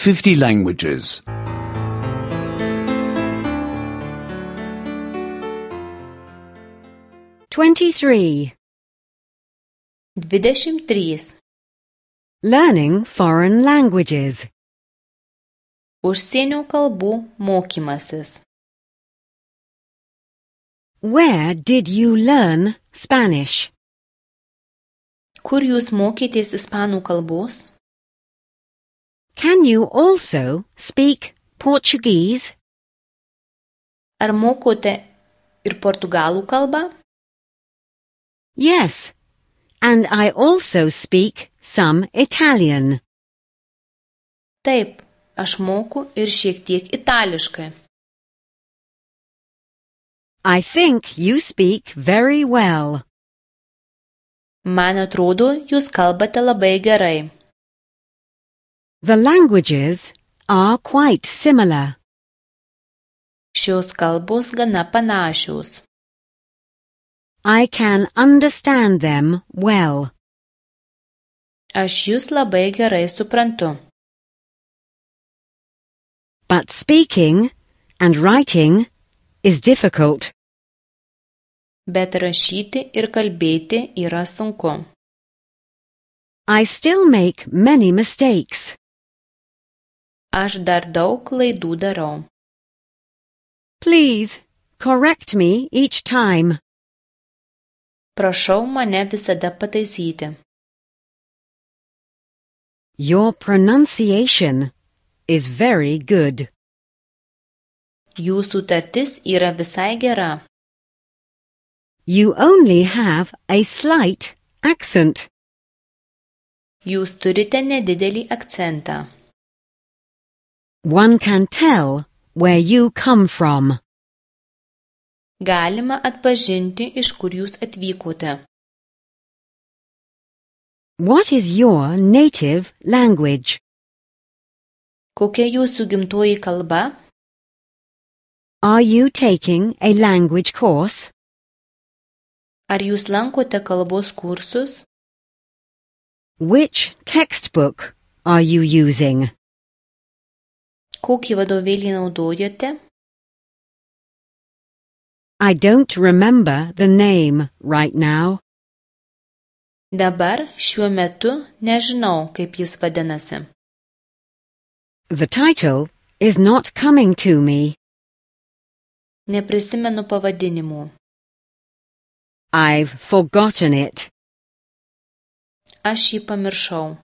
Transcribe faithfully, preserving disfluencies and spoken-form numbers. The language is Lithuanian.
fifty languages. twenty-three. Dvidešimt trys. Learning foreign languages. Užsienio kalbų mokymasis. Where did you learn Spanish? Kur jūs mokytės ispanų kalbos? Can you also speak Portuguese? Ar mokote ir portugalų kalbą? Yes, and I also speak some Italian. Taip, aš moku ir šiek tiek itališkai. I think you speak very well. Man atrodo, jūs kalbate labai gerai. The languages are quite similar. Šios kalbos gana panašios. I can understand them well. Aš jūs labai gerai suprantu. But speaking and writing is difficult. Bet rašyti ir kalbėti yra sunku. I still make many mistakes. Aš dar daug klaidų darau. Please correct me each time. Prašau mane visada pataisyti. Your pronunciation is very good. Jūsų tartis yra visai gera. You only have a slight accent. Jūs turite nedidelį akcentą. One can tell where you come from. Galima atpažinti, iš kur jūs atvykote. What is your native language? Kokia jūsų gimtoji kalba? Are you taking a language course? Ar jūs lankote kalbos kursus? Which textbook are you using? Kokį vadovėlį naudojate? I don't remember the name right now. Dabar šiuo metu nežinau, kaip jis vadinasi. The title is not coming to me. Neprisimenu pavadinimų. I've forgotten it. Aš jį pamiršau.